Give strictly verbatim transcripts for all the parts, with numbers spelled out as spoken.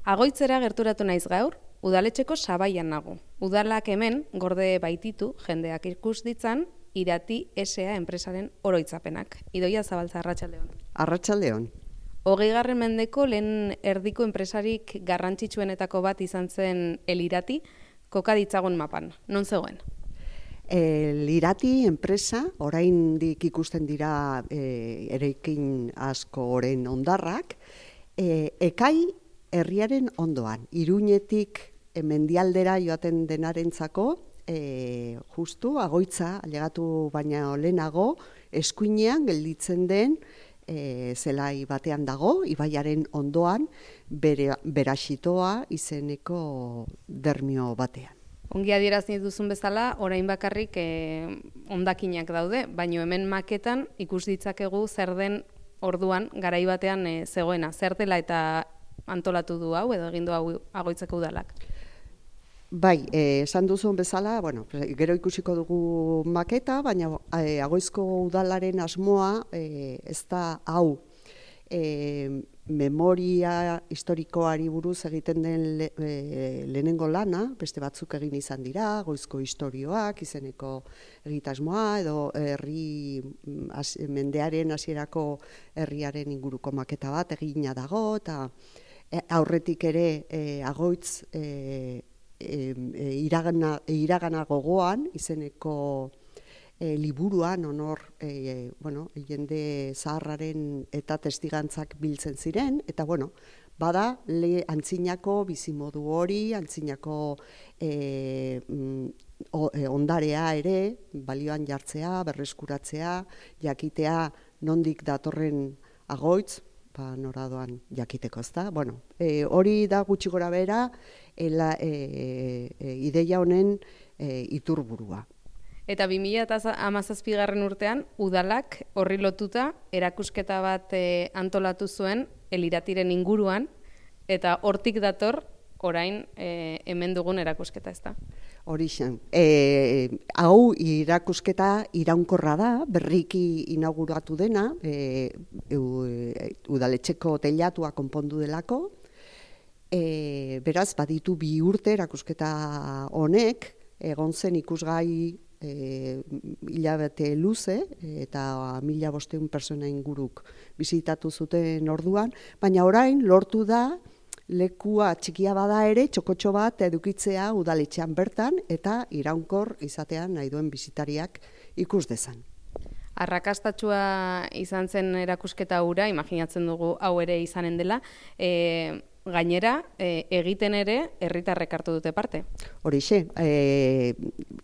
Agoitzera gerturatu naiz gaur, udaletxeko sabaian nago. Udalak hemen gorde baititu jendeak ikus ditzan Irati S A enpresaren oroitzapenak. Idoia Zabaltza, arratsaldeon. Arratsaldeon. Hogeigarren mendeko lehen erdiko enpresarik garrantzitsuenetako bat izan zen El Irati, koka ditzagun mapan. Non zegoen? El Irati enpresa, oraindik ikusten dira e, eraikin asko oren hondarrak, e, ekai herriaren ondoan, Iruñetik e, mendialdera joaten denarentzako, e, justu agoitza ailegatu baina lehenago, eskuinean gelditzen den e, zelai batean dago, ibaiaren ondoan, bere, Beraxitoa izeneko dermio batean. Ongi adierazi duzun bezala, orain bakarrik eh, hondakinak daude, baino hemen maketan ikus ditzakegu zer den orduan garai batean eh, zegoena, zer dela eta antolatu du hau edo egin du hau Agoitzeko udalak. Bai, eh, esan duzun bezala, bueno, gero ikusiko dugu maketa, baina eh, Agoizko udalaren asmoa eh, ez da hau. E, memoria historikoari buruz egiten den le, e, lehenengo lana, beste batzuk egin izan dira, Goizko istorioak, izeneko egitasmoa, edo herri as, mendearen hasierako herriaren inguruko maketa bat egina dago, eta e, aurretik ere e, Agoitz e, e, e, iragana, iragana gogoan, izeneko E, liburuan honor e, bueno, jende zaharraren eta testigantzak biltzen ziren, eta bueno, bada le antzinako bizimodu hori, antzinako e, o, e, ondarea ere, balioan jartzea, berreskuratzea, jakitea nondik datorren Agoitz, ba, noradoan jakiteko, ezta? Bueno, e, hori da gutxi gora bera e, e, e, ideia honen e, iturburua. Eta bi mila hamazazpigarren urtean, udalak horri lotuta erakusketa bat e, antolatu zuen El Iratiren inguruan, eta hortik dator orain e, hemen dugun erakusketa, ezta? Horixen. E, hau irakusketa iraunkorra da, berriki inauguratu dena, e, e, udaletxeko teilatua konpondu delako, e, beraz, baditu bi urte erakusketa honek, egon zen ikusgai E, hilabete luze eta mila bosteun persona inguruk bizitatu zuten orduan, baina orain lortu da lekua txikia bada ere txokotxo bat edukitzea udaletxean bertan eta iraunkor izatean nahi duen bisitariak ikus dezan. Arrakastatsua izan zen erakusketa hura, imaginatzen dugu hau ere izanen dela, e, gainera, e, egiten ere herritarrek hartu dute parte. Horixe, e,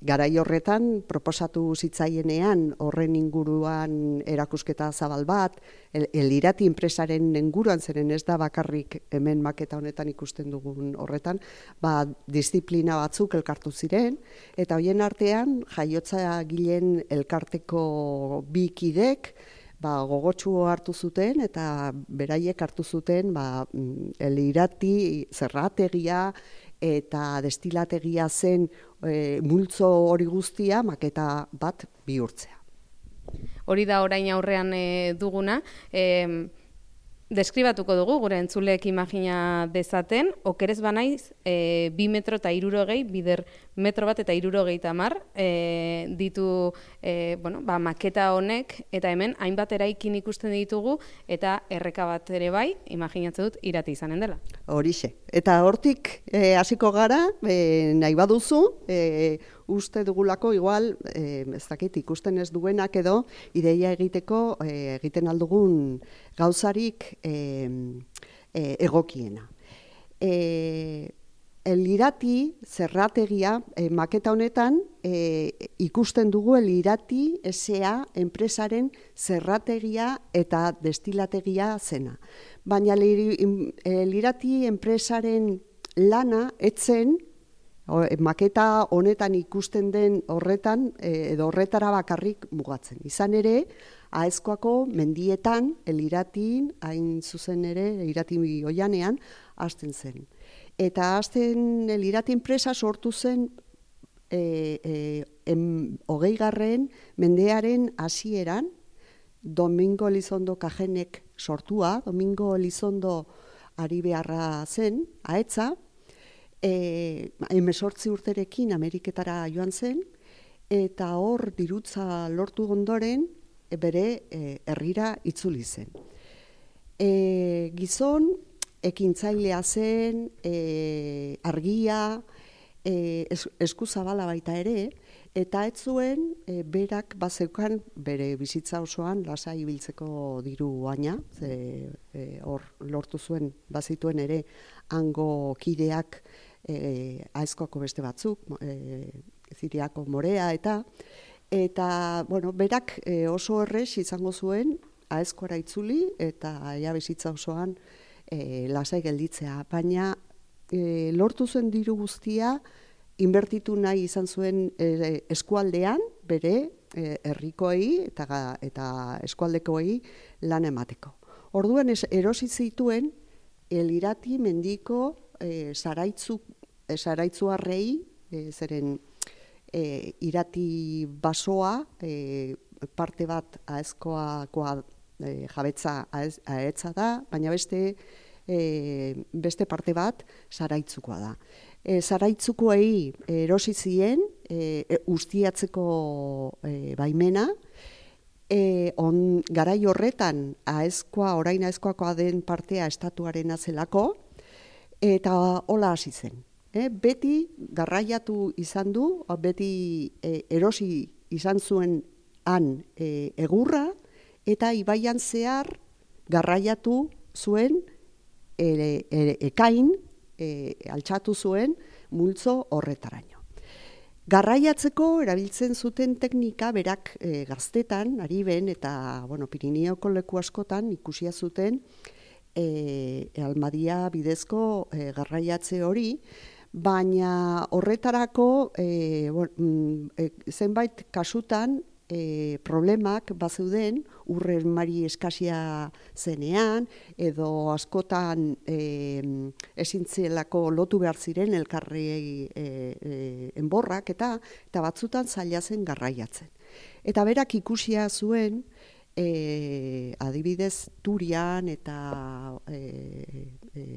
garai horretan proposatu zitzaienean horren inguruan erakusketa zabal bat, El, El Irati enpresaren inguruan zeren ez da bakarrik hemen maketa honetan ikusten dugun horretan, ba, disiplina batzuk elkartu ziren, eta hoien artean jaiotza gilen elkarteko bi kidek, ba, gogotsu hartu zuten eta beraiek hartu zuten ba, El Irati zerrategia eta destilategia zen e, multzo hori guztia maketa bat bihurtzea. Hori da orain aurrean e, duguna. E, deskribatuko dugu, gure entzuleek imagina dezaten, okerez banaiz, e, bi metro eta hirurogei, bider metro bat eta hirurogei tamar, e, ditu e, bueno, ba, maketa honek, eta hemen hainbat eraikin ikusten ditugu, eta erreka bat ere bai, imaginatzen dut, Irati izanen dela. Horixe. Eta hortik e, hasiko gara, e, nahi baduzu, e, uste dugulako igual, e, ez dakit, ikusten ez duenak edo, ideia egiteko e, egiten aldugun gauzarik e, e, egokiena. E, El Irati zerrategia e, maketa honetan e, ikusten dugu El Irati S A enpresaren zerrategia eta destilategia zena. Baina El Irati enpresaren lana etzen maketa honetan ikusten den horretan edo horretara bakarrik mugatzen. Izan ere, Aezkoako mendietan El Iratin, hain zuzen ere, El Irati oianean, hasten zen. Eta hasten El Irati enpresa sortu zen e, e, em, hogeigarren mendearen hasieran, Domingo Elizondo Kajenek sortua, Domingo Elizondo ari beharra zen, ahetza, e, hemezortzi urterekin Ameriketara joan zen, eta hor dirutza lortu ondoren e, bere e, herrira itzuli zen. E, gizon, ekintzailea zen, e, argia, e, es, eskuzabala baita ere, eta ez zuen e, berak bazeukan bere bizitza osoan lasai ibiltzeko diru baina, e, hor lortu zuen bazituen ere hango kideak e, aezkoako beste batzuk, e, Ziriako Morea eta eta bueno, berak e, oso errez izango zuen aezkoara itzuli eta ja bizitza osoan e, lasai gelditzea, baina e, lortu zuen diru guztia inbertitu nahi izan zuen e, eskualdean, bere e, herrikoei eta, eta eskualdekoei lan emateko. Orduan es, erosi zituen Elirati mendiko e, zaraitzu, e, zaraitzuarrei, e, zeren e, irati basoa, e, parte bat aezkoakoa e, jabetza ahetza da, baina beste, e, beste parte bat zaraitzukoa da. E, zaraitzukoei erosi zien e, e, ustiatzeko e, baimena, e, on, garai horretan aezkoa, orain aezkoakoa den partea estatuaren zelako, eta hola hasi zen. E, beti garraiatu izan du, beti e, erosi izan zuen han e, egurra, eta ibaian zehar garraiatu zuen e, e, ekain, E, altxatu zuen multzo horretaraino. Garraiatzeko erabiltzen zuten teknika berak e, gaztetan, ari ben, eta bueno, Pirineoko leku askotan ikusia zuten e, almadia bidezko e, garraiatze hori, baina horretarako e, bon, e, zenbait kasutan E, problemak bazeuden urren mari eskasia zenean, edo askotan e, ezintzelako lotu behar ziren elkarri e, e, enborrak, eta, eta batzutan zaila zen garraiatzen. Eta berak ikusia zuen, e, adibidez Turian eta e, e,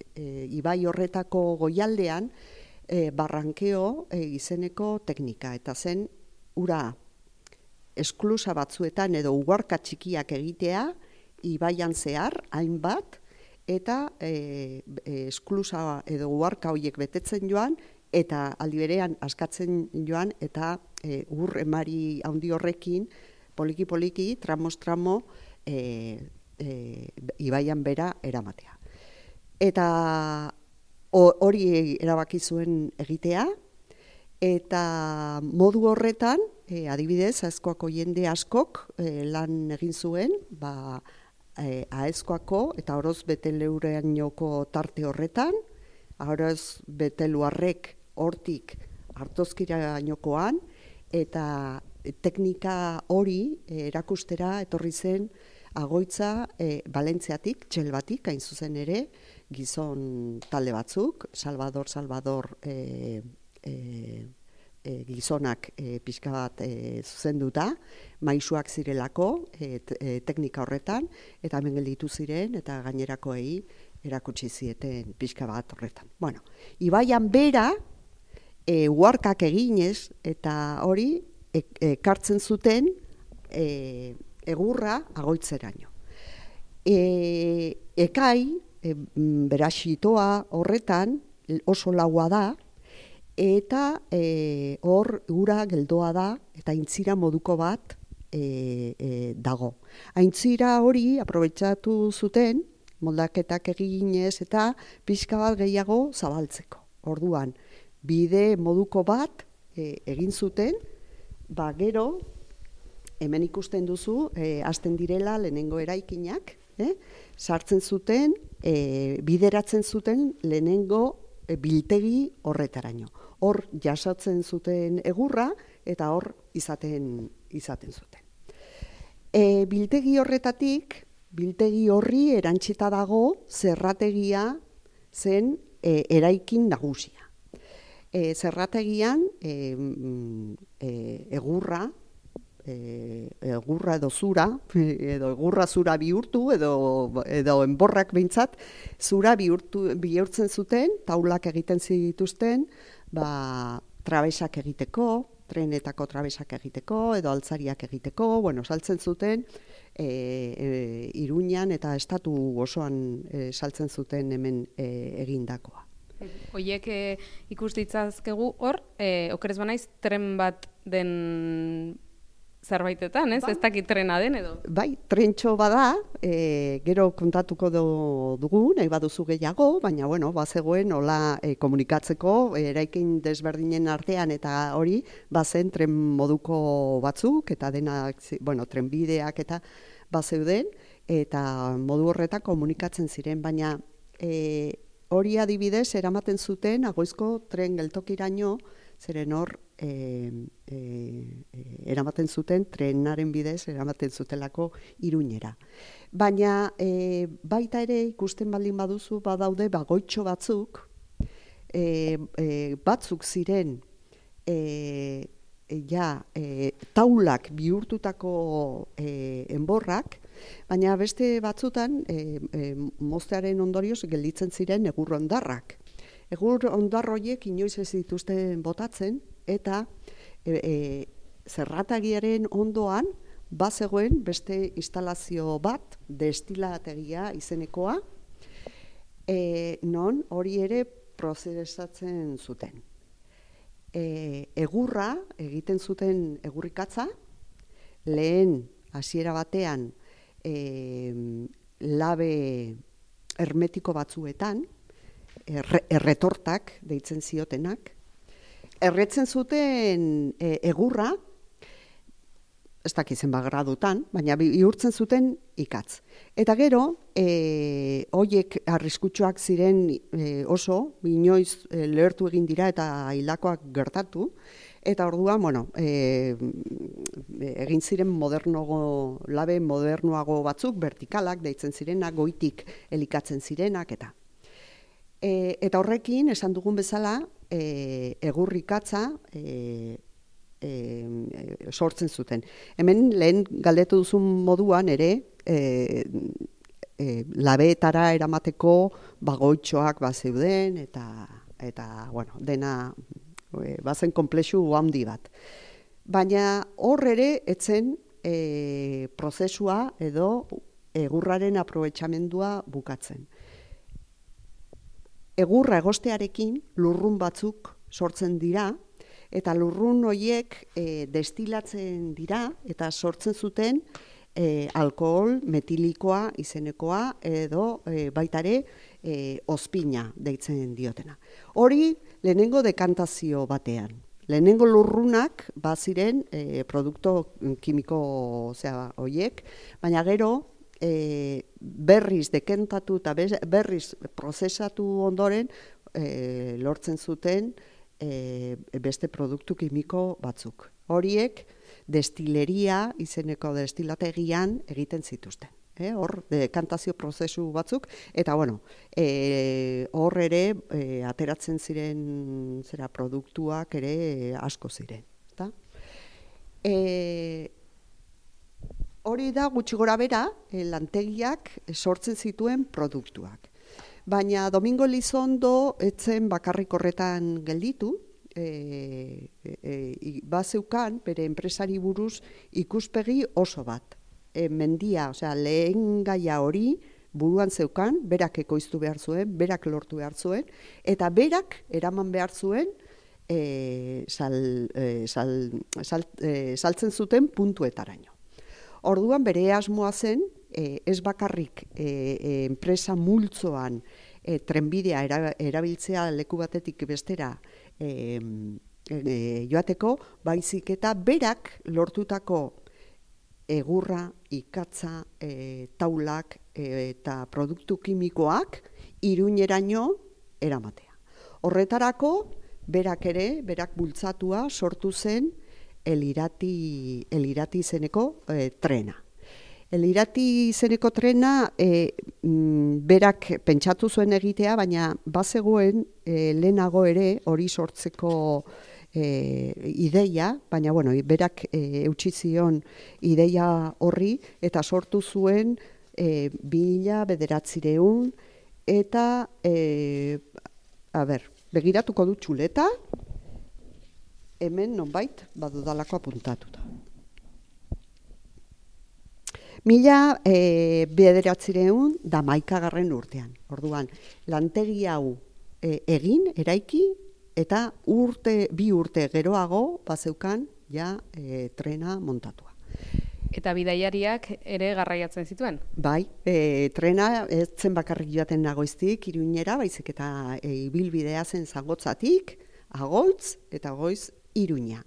e, ibai horretako goialdean, e, barrankeo e, izeneko teknika, eta zen ura esklusa batzuetan edo ugarka txikiak egitea, ibaian zehar, hainbat, eta e, esklusa edo ugarka horiek betetzen joan, eta aldi berean askatzen joan, eta e, ur emari handi horrekin, poliki-poliki, tramos-tramo, e, e, ibaian bera eramatea. Eta hori erabaki zuen egitea, eta modu horretan, E, adibidez, aezkoako jende askok e, lan egin zuen, ba, e, aezkoako eta oroz beteleureainoko tarte horretan, oroz beteluarrek hortik hartozkirainokoan, eta teknika hori e, erakustera etorri zen agoitza e, Valentziatik, Txelbatik, hain zuzen ere, gizon talde batzuk, Salvador, Salvador, e, e, E, gizonak e, pixka bat e, zuzenduta, maisuak zirelako e, e, teknika horretan, eta hemen gelditu ziren, eta gainerakoei erakutsi zieten pixka bat horretan. Bueno, ibaian bera, e, uharkak eginez, eta hori ekartzen zuten e, egurra agoitzeraino. E, ekai, e, berasitoa horretan, oso laua da, eta e, hor ura geldoa da, eta aintzira moduko bat e, e, dago. Aintzira hori aprobetxatu zuten, moldaketak eginez eta pixka bat gehiago zabaltzeko. Orduan, bide moduko bat e, egin zuten, ba gero, hemen ikusten duzu, e, hasten direla lehenengo eraikinak, eh? sartzen zuten, e, bideratzen zuten lehenengo e, biltegi horretaraino. Hor jasotzen zuten egurra eta hor izaten izaten zuten. E, biltegi horretatik, biltegi horri erantsita dago zerrategia zen e, eraikin nagusia. E, zerrategian e, e, egurra e, egurra edo zura, edo egurra zura bihurtu, edo, edo enborrak behintzat, zura bihurtu, bihurtzen zuten, taulak egiten zituzten, ba, trabesak egiteko, trenetako trabesak egiteko, edo altzariak egiteko, bueno, saltzen zuten, E, e, Iruñan eta estatu osoan e, saltzen zuten hemen e, egindakoa. Hoiek e, ikus ditzazkegu hor, e, okerez banaiz, tren bat den zerbaitetan, ez? Ba, ez dakit trena den edo? Bai, trentxo bada, e, gero kontatuko do, dugu, nahi baduzu gehiago, baina, bueno, bazegoen, hola e, komunikatzeko, e, eraikin desberdinen artean eta hori, bazen tren moduko batzuk, eta denak, bueno, trenbideak eta bazeuden, eta modu horretan komunikatzen ziren, baina e, hori adibidez eramaten zuten Agoizko tren geltokiraino, zeren hor e, e, e, eramaten zuten trenaren bidez eramaten zutelako Iruñera. Baina e, baita ere ikusten baldin baduzu badaude bagoitxo batzuk, e, e, batzuk ziren e, E, ja, e, taulak bihurtutako e, enborrak, baina beste batzutan e, e, moztearen ondorioz gelditzen ziren egur ondarrak. Egur ondar horiek inoiz ez dituzten botatzen, eta e, e, zerratagiaren ondoan bazegoen beste instalazio bat, destilategia izenekoa, e, non hori ere prozesatzen zuten. E, egurra egiten zuten egurrikatza, lehen hasiera batean e, labe hermetiko batzuetan, erre, erretortak deitzen ziotenak, erretzen zuten e, egurra, ez dakizen bagradutan, baina bihurtzen zuten ikatz. Eta gero, e, hoiek arriskutsuak ziren e, oso, inoiz e, lehertu egin dira eta hilakoak gertatu, eta orduan, bueno, e, egin ziren modernogo, labe modernoago batzuk, vertikalak deitzen zirenak, goitik elikatzen zirenak, eta. E, eta horrekin, esan dugun bezala, e, egurrikatza, e, E, e, sortzen zuten. Hemen lehen galdetu duzun moduan ere e, e, labeetara eramateko bagoitxoak bazeuden eta, eta bueno, dena e, bazen konplexu handi bat. Baina hor ere etzen e, prozesua edo egurraren aprobetxamendua bukatzen. Egurra egostearekin lurrun batzuk sortzen dira, eta lurrun horiek e, destilatzen dira eta sortzen zuten e, alkohol metilikoa izenekoa edo e, baitare e, ozpina deitzen diotena. Hori lehenengo dekantazio batean. Lehenengo lurrunak baziren e, produkto kimiko zera horiek, baina gero e, berriz dekantatu eta berriz prozesatu ondoren e, lortzen zuten E, beste produktu kimiko batzuk. Horiek destileria izeneko destilategian egiten zituzten. E, hor, dekantazio prozesu batzuk, eta bueno, e, hor ere e, ateratzen ziren zera produktuak ere e, asko ziren. Ta? E, hori da gutxi gora bera, e, lantegiak sortzen zituen produktuak. Baina Domingo Elizondo etzen bakarrik horretan gelditu, e, e, e, bazeukan bere enpresari buruz ikuspegi oso bat. E, mendia, osea, lehen gaia hori buruan zeukan, berak ekoiztu behar zuen, berak lortu behar zuen, eta berak eraman behar zuen e, sal, e, sal, sal, e, saltzen zuten puntuetaraino. Orduan bere asmoa zen, E, ez bakarrik e, e, enpresa multzoan e, trenbidea era, erabiltzea leku batetik bestera e, e, joateko, baizik eta berak lortutako egurra, ikatza, e, taulak e, eta produktu kimikoak Iruñeraino eramatea. Horretarako, berak ere, berak bultzatua sortu zen elirati, elirati izeneko e, trena. Elirati izeneko trena e, m, berak pentsatu zuen egitea, baina bazegoen e, lehenago ere hori sortzeko e, ideia, baina bueno, berak e, eutsi zion ideia horri eta sortu zuen e, mila bederatziehun eta e, a ber, begiratuko du txuleta, hemen nonbait badudalako apuntatuta. Mila e, bederatziehun da hamaikagarren urtean. Orduan, lantegi hau e, egin, eraiki, eta urte, bi urte geroago bazeukan ja e, trena montatua. Eta bidaiariak ere garraiatzen zituen? Bai, e, trena ez zen bakarrik joaten Agoiztik Iruñera, baizik eta e, ibilbidea zen Zangotzatik, Agoitz eta Agoiz Iruña.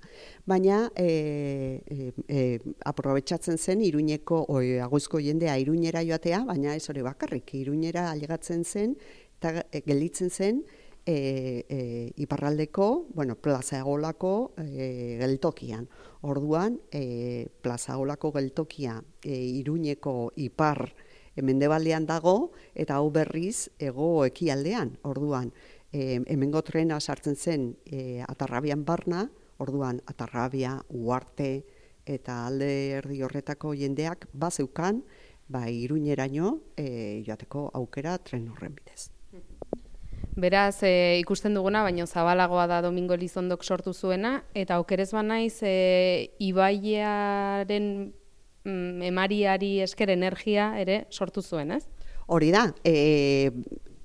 Baina e, e, e, aprobetxatzen zen Iruñeko, oi, Agoizko jendea Iruñera joatea, baina ez hori bakarrik, Iruñera ailegatzen zen eta e, gelditzen zen E, e, iparraldeko, bueno, Plaza Egolako e, geltokian. Orduan, e, Plaza Egolako geltokia e, Iruñeko ipar e, mendebaldean dago, eta hau berriz ego ekialdean. Orduan, e, hemengo trena sartzen zen e, Atarrabian barna, orduan Atarrabia, Uarte eta alde erdi horretako jendeak bazeukan, ba, Iruñeraino e, joateko aukera tren horren bidez. Beraz, e, ikusten duguna, baina zabalagoa da Domingo Elizondok sortu zuena, eta okerez banaiz e, ibaiaren mm, emariari esker energia ere sortu zuen, ez? Hori da, e,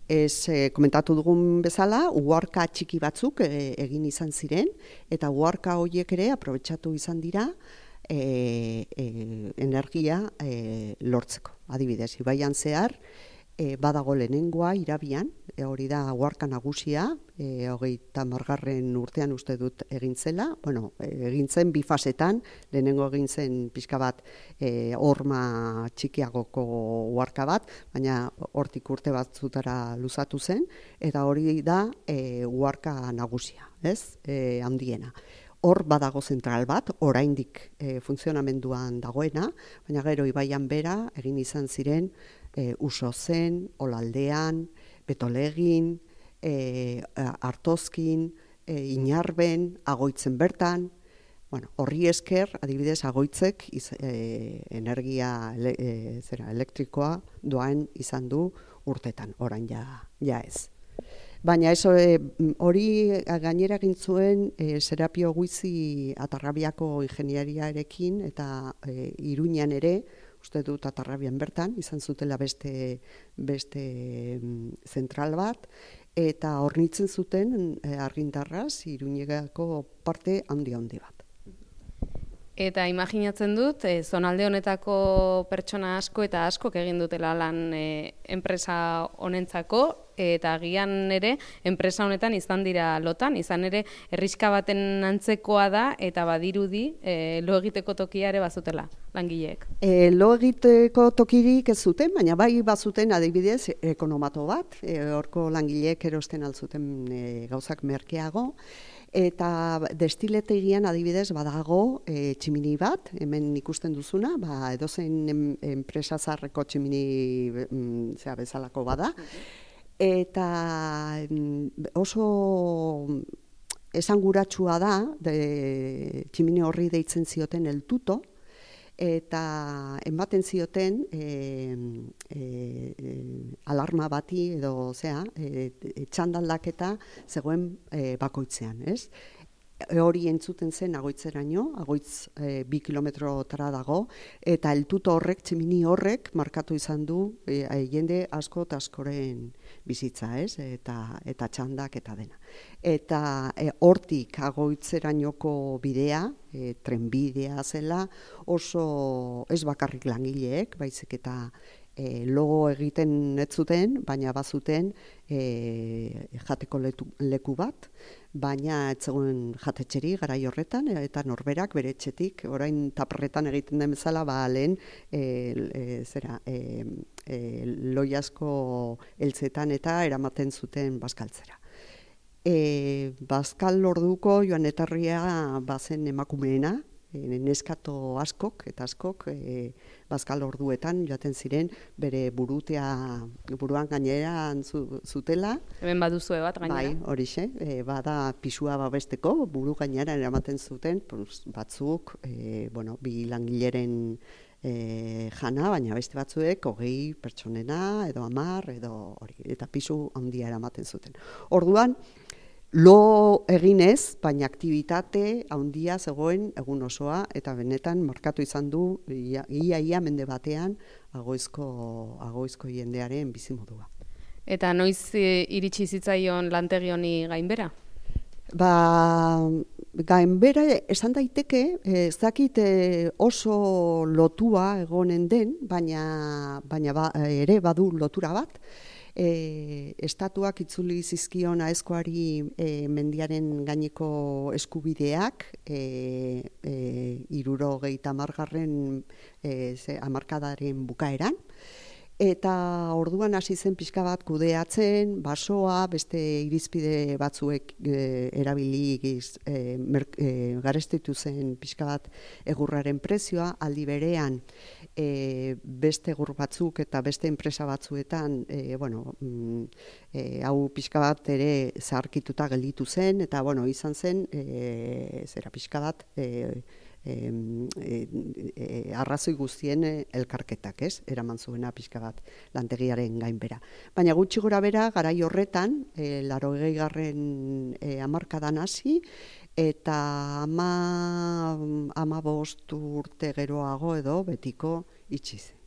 ez e, komentatu dugun bezala, uharka txiki batzuk e, egin izan ziren, eta uharka horiek ere aprobetxatu izan dira e, e, energia e, lortzeko. Adibidez, ibaian zehar, E, badago lehenengoa Irabian, e, hori da uharka nagusia, e, hogeita hamargarren urtean uste dut egin zela, bueno, egin zen bi fasetan, lehenengo egin zen pixka bat e, horma txikiagoko uharka bat, baina hortik urte batzutara luzatu zen, eta hori da e, uharka nagusia, ez, e, handiena. Hor badago zentral bat, oraindik e, funtzionamenduan dagoena, baina gero ibaian bera egin izan ziren e, Usozen, Olaldean, Betolegin, e, Artozkin, e, Inarben, Agoitzen bertan. Bueno, horri esker, adibidez, Agoitzek iz, e, energia ele, e, zera, elektrikoa doan izan du urtetan, orain ja, ja ez. Baina ez hori gainera egin zuen e, Serapio Guizi Atarrabiako ingeniariarekin eta e, Iruñan ere, uste dut Atarrabian bertan, izan zutela beste, beste zentral bat, eta hornitzen zuten e, argindarraz Iruñegako parte handi-handi bat. Eta imaginatzen dut, e, zonalde honetako pertsona asko eta askok egin dutela lan e, enpresa honentzako, eta agian ere enpresa honetan izan dira lotan, izan ere herriska baten antzekoa da, eta badirudi e, lo egiteko tokia ere bazutela langileek. E, lo egiteko tokirik ez zuten, baina bai bazuten adibidez ekonomato bat, e, horko langileek erosten altzuten e, gauzak merkeago, eta destiletegian adibidez badago e, tximini bat, hemen ikusten duzuna, ba, edozein em, enpresa zarreko tximini mm, zera bezalako bada, eta mm, oso esanguratsua da, de, tximini horri deitzen zioten el tuto, eta ematen zioten e, e, e, alarma bati edo zea, e, e, txandaldaketa zegoen e, bakoitzean, ez? Hori entzuten zen Agoitzeraino, Agoitz e, bi kilometrotara dago, eta eltuto horrek, tximini horrek, markatu izan du e, jende asko eta askoren bizitza, ez? Eta, eta txandak eta dena. Eta e, hortik Agoitzerainoko bidea, e, trenbidea zela, oso ez bakarrik langileek, baizik eta E, logo egiten ez zuten, baina bazuten e, jateko letu, leku bat, baina ez zegoen jatetxeri garai horretan, eta norberak bere etxetik, orain taparretan egiten den bezala, ba lehen e, e, zera, e, e, loiasko eltzetan eta eramaten zuten bazkaltzera. E, bazkal orduko joan etarria bazen emakumeena, e, neskato askok eta askok e, bazkal orduetan joaten ziren bere burutea buruan gaineran zu, zutela. Hemen baduzue bat gainera. Bai, horixe, e, bada pisua babesteko buru gaineran eramaten zuten pues, batzuk e, bueno, bi langileren E, jana, baina beste batzuek hogei pertsonena, edo hamar, edo hori, eta pisu handia eramaten zuten. Orduan, lo eginez, baina aktibitate handia zegoen egun osoa, eta benetan markatu izan du, ia, ia, ia mende batean, agoizko, agoizko jendearen bizimodua. Eta noiz iritsi zitzaion lantegi honi gainbera? Ba, gainbera esan daiteke, ez dakit oso lotua egonen den, baina, baina ba, ere badu lotura bat. E, estatuak itzuli zizkion aezkoari e, mendiaren gaineko eskubideak e, e, hirurogeita hamargarren e, hamarkadaren bukaeran. Eta orduan hasi zen pixka bat kudeatzen, basoa, beste irizpide batzuek e, erabili giz, e, e, garestitu zen pixka bat egurraren prezioa, aldi berean e, beste egur batzuk eta beste enpresa batzuetan, e, bueno, e, hau pixka bat ere zaharkituta gelditu zen, eta bueno, izan zen, e, zera pixka bat, e, E, e, e, arrazoi guztien elkarketak, ez? Eraman zuena pixka bat lantegiaren gainbera. Baina gutxi gora bera, garai horretan, e, laurogei garren e, hamarkadan hasi, eta ama, ama bost urte geroago edo betiko itxi zen.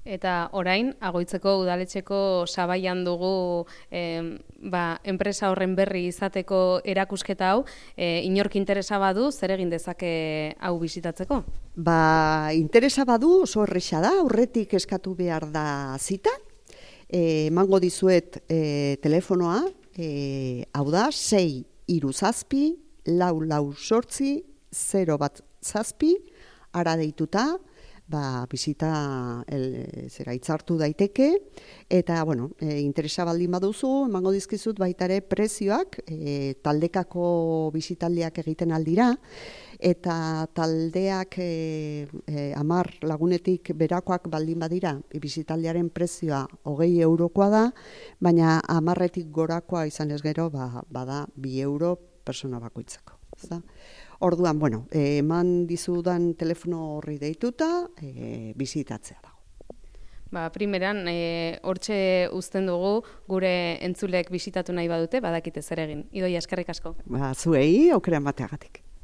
Eta orain, Agoitzeko udaletxeko sabaian dugu eh, ba, enpresa horren berri izateko erakusketa hau, eh, inork interesa badu, zer egin dezake hau bisitatzeko? Ba, interesa badu oso erresa da, aurretik eskatu behar da zita, e, emango dizuet e, telefonoa, e, hau da, sei hiru zazpi, lau lau sortzi, zero bat zazpi, ara deituta, ba, bizita el, zera itzartu daiteke, eta, bueno, e, interesa baldin baduzu, emango dizkizut baita ere prezioak, e, taldekako bizitaldiak egiten aldira, eta taldeak e, e, amar lagunetik berakoak baldin badira, bizitaldiaren prezioa hogei eurokoa da, baina amarretik gorakoa izan ez gero, ba, bada bi euro persona bakoitzako. Zda? Orduan, bueno, eh, eman dizudan telefono horri deituta, eh, bizitatzea dago. Ba, primeran, e, hortxe uzten dugu, gure entzulek bisitatu nahi badute, badakite zer egin. Idoia, eskerrik asko. Ba, zuei, aukera emateagatik.